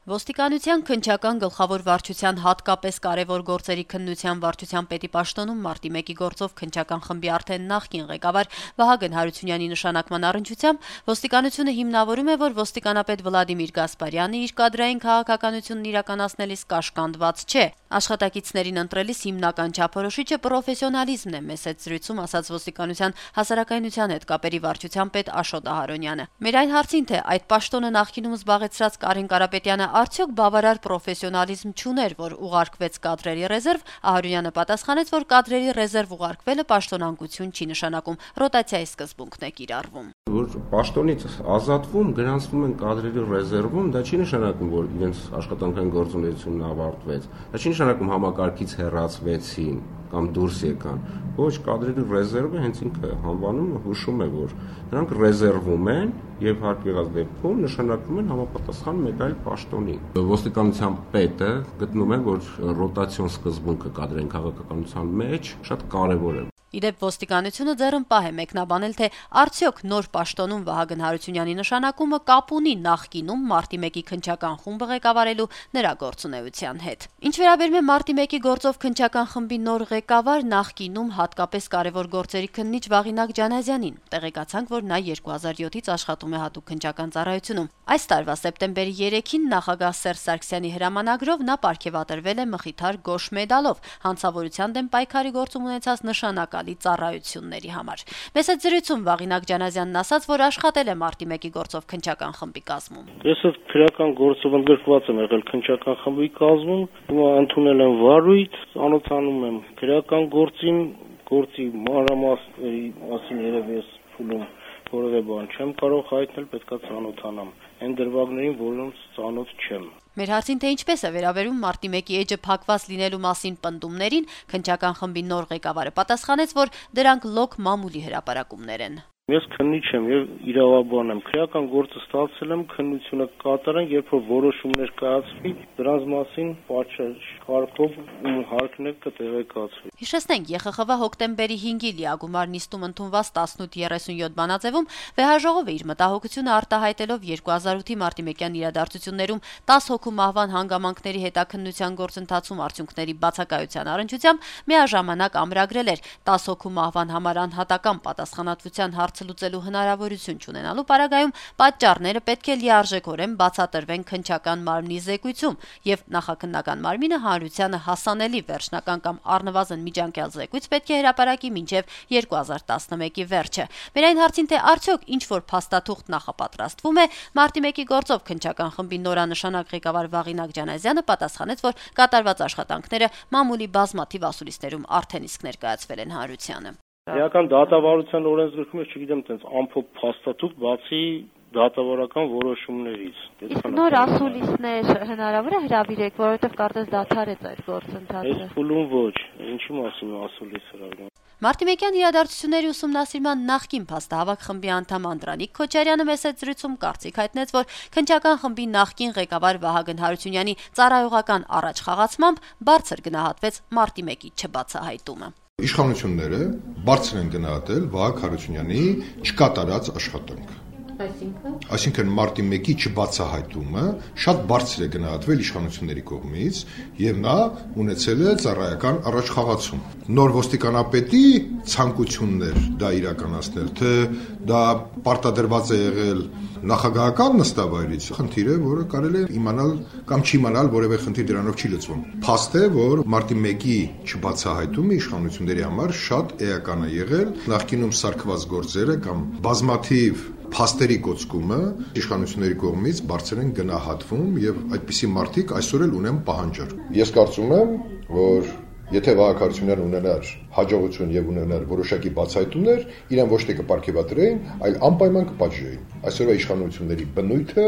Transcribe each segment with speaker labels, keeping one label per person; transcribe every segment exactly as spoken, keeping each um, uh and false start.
Speaker 1: Ոստիկանության քննչական գլխավոր վարչության հատկապես կարևոր գործերի քննության վարչության պետի պաշտոնում մարտի մեկի գործով քննչական խմբի արդեն նախկին ղեկավար Վահագն Հարությունյանի նշանակման առնչությամբ ոստիկանությունը հիմնավորում է, որ ոստիկանապետ Վլադիմիր Գասպարյանը իր կադրային քաղաքականությունն իրականացնելիս կաշկանդված չէ։ Աշխատակիցներին ընտրելիս հիմնական չափորոշիչը պրոֆեսիոնալիզմն է, մեծ զրույցում ասաց ոստիկանության հասարակայնության հետ կապերի վարչության պետ Աշոտ Ահարոնյանը։ Մեր այն հարցին, թե այդ պաշտոնը նախկինում զբաղեցրած Կարեն Կարապետյանը արդյոք բավարար պրոֆեսիոնալիզմ չուներ, որ ուղարկվեց կադրերի ռեզերվ, Ահարոնյանը պատասխանեց, որ կադրերի ռեզերվ ուղարկվելը պաշտոնանկություն չի նշանակում, ռոտացիայի սկզբունքն է կիրառվում։
Speaker 2: Որ պաշտոնից ազատվում, գրանցվում են կադրերի ռեզերվում, դա չի նշանակում, որ իրենց աշխատանքային գործունեությունն ավարտվեց։ Դա չի նշանակում համակարգից հեռացվեցին կամ դուրս եկան։ Ոչ, կադրերի ռեզերվը հենց ինքը անվանումը հուշում է, որ նրանք ռեզերվում են եւ հարկ եղած դեպքում նշանակվում են համապատասխան մեկ այլ պաշտոնի։ Ոստիկանության պետը գտնում է, որ ռոտացիոն սկզբունքը կադրային քաղաքականության մեջ շատ կարեւոր է։
Speaker 1: Իդեպ ոստիկանությունը ձեռնպահ է մեկնաբանել, թե արդյոք նոր պաշտոնում Վահագն Հարությունյանի նշանակումը կապ ունի նախկինում մարտի մեկի քննչական խումբը ղեկավարելու նրա գործունեության հետ։ Ինչ վերաբերում է մարտի մեկի գործով քննչական խմբի նոր ղեկավար, նախկինում հատկապես կարևոր գործերի քննիչ Վաղինակ Ջանազյանին տեղեկացանք, որ նա երկու հազար յոթից աշխատում է հատուկ քննչական ծառայությունում։ Այս տարվա սեպտեմբերի երեքին նախագահ Սերժ Սարգսյանի հրամանագրով նա պարգևատրվել է Մխիթար Գոշ մեդալով հանցավորության դեմ պայքարի գործում ունեցած նշանակալի ծառայությունների համար։ Մեծ զրույցում Վաղինակ Ջանազյանն ասաց, որ աշխատել է մարտի մեկի գործով քննչական խմբի կազմում։
Speaker 3: Ես այդ քրեական գործով ընդգրկված եմ եղել քննչական խմբի կազմում, հիմա ընդունել եմ վարույթ, անոթանում եմ քրեական գործին, գործի մանրամասների մասին երևի ես փուլում որևէ բան չեմ կարող հայտնել, պետքա ծանոթանամ։ Այն դրվագներին, որոնց ծանոթ չեմ։
Speaker 1: Մեր հարցին, թե ինչպես է վերաբերում մարտի մեկի էջը փակված լինելու մասին պնդումներին, քննչական խմբի նոր ղեկավարը պատասխանեց, որ դրանք լոկ մամուլի հրապարակումներ են։
Speaker 3: Ես քննիչ եմ եւ իրավաբան եմ։ Քրեական գործը ստացել եմ, քննությունը կատարեմ, երբ որ որոշումներ կայացվի, դրանց մասին պատշաճ կարգով ու հարկներ կտեղեկացվի։
Speaker 1: Հիշեցնենք, Ե Խ Խ V հոկտեմբերի հինգի լիագումար նիստում ընդունված տասնութ երեսունյոթ բանաձևում վեհաժողովը իր մտահոգությունը արտահայտելով երկու հազար ութի մարտիմեկյան իրադարձություններում տասը հոգու մահվան հանգամանքների հետաքննության գործընթացում արդյունքների բացակայության առնչությամբ միաժամանակ ամրագրել էր տասը հոգու մահվան համար անհատական պատասխանատվության հարցը լուծելու հնարավորություն չունենալու պարագայում պատճառները պետք է լիարժեքորեն բացատրվեն քննչական մարմնի զեկույցում եւ նախաքննական մարմինը հանրությանը հասանելի վերջնական կամ առնվազն միջանկյալ զեկույց պետք է հրապարակի մինչեւ երկու հազար տասնմեկի վերջը։ Մեր այն հարցին, թե արդյոք ինչ որ փաստաթուղթ նախապատրաստվում է, մարտի մեկի գործով քննչական խմբի նորանշանակ ղեկավար Վաղինակ Ջանազյանը պատասխանեց, որ կատարված աշխատանքները մամուլի բազմաթիվ ասուլիսներում արդեն իսկ ներկայացվել են հանրությանը։
Speaker 3: Իրական դատավարության օրենսգրքում ես չգիտեմ, տենց ամփոփ փաստաթուղթ բացի դատավարական որոշումներից։
Speaker 4: Իսկ նոր ասուլիսներ հնարավոր է հրավիրեք, որովհետև կարծես դադարեց այդ գործընթացը։
Speaker 3: Այս փուլում ոչ, ինչի մասին ասուլիս հրավիրում։
Speaker 1: Մարտիմեկյան իրադարձությունների ուսումնասիրման նախկին փաստահավաք խմբի անդամ Անդրանիկ Քոչարյանը մեծ զրույցում կարծիք հայտնեց, որ քննչական խմբի նախկին ղեկավար Վահագն Հարությունյանի ծառայողական առաջխաղացմամբ բարձր գնահատվեց մարտի մեկի չբացահայտումը։
Speaker 5: Իշխանությունները բարձր են գնահատել Վահագն Հարությունյանի չկատարած աշխատանքը։
Speaker 1: Այսինքն
Speaker 5: Այսինքն մարտի մեկի չբացահայտումը շատ բարձր է գնահատվել իշխանությունների կողմից եւ նա ունեցել է ծառայական առաջխաղացում։ Նոր ոստիկանապետի ցանկություններ դա իրականացնել, թե դա պարտադրված է եղել նախագահական նստավայրից, խնդիր է, որը կարելի է իմանալ կամ չիմանալ, որևէ խնդիր դրանով չի լուծվում։ Փաստ է, որ մարտի մեկի չբացահայտումը իշխանությունների համար շատ էական է եղել, նախկինում սարքված գործերը կամ բազմաթիվ փաստերի կոծկումը իշխանությունների կողմից բարձր են գնահատվում եւ այդպիսի մարդիկ այսօր էլ ունեն պահանջար։ Ես կարծում եմ, որ եթե Վահագն Հարությունյանն ունենար հաջողություն եւ ունենար որոշակի բացահայտումներ, իրեն ոչ թե կպարգևատրեին, այլ անպայման կպատժեին։ Այսօրվա իշխանությունների բնույթը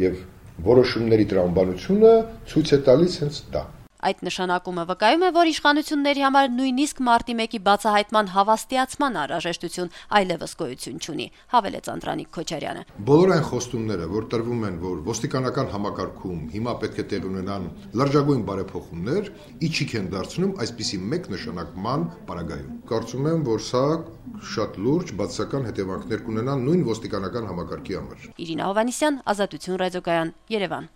Speaker 5: եւ որոշումների տրամաբանությունը ցույց է տալիս հենց դա։
Speaker 1: Այդ նշանակումը վկայում է, որ իշխանությունների համար նույնիսկ մարտի մեկի բացահայտման հավաստիացման անհրաժեշտություն այլևս գոյություն չունի, հավելեց Անդրանիկ Քոչարյանը։
Speaker 5: Բոլոր այն խոստումները, որ տրվում են, որ ոստիկանական համակարգում հիմա պետք է տեղ ունենան լրջագույն բարեփոխումներ, իջիկ են դարձնում այսպիսի մեկ նշանակման պարագայում։ Կարծում եմ, որ սա շատ լուրջ բացասական հետևանքներ կունենա նույն ոստիկանական համակարգի համար։
Speaker 1: Իրինա Հովհաննիսյան, Ազատություն ռադիոկայան, Երևան։